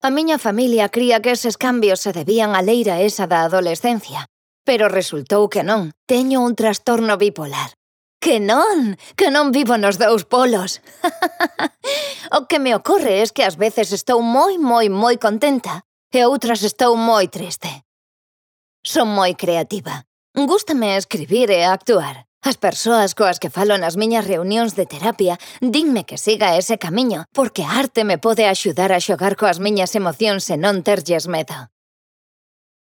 A miña familia cría que eses cambios se debían á leira esa da adolescencia. Pero resultou que non. Teño un trastorno bipolar. Que non vivo nos dous polos. O que me ocorre es que ás veces estou moi contenta e outras estou moi triste. Son moi creativa. Gústame escribir e actuar. As persoas coas que falo nas miñas reunións de terapia dinme que siga ese camiño, porque a arte me pode axudar a xogar coas miñas emocións e non terlles medo.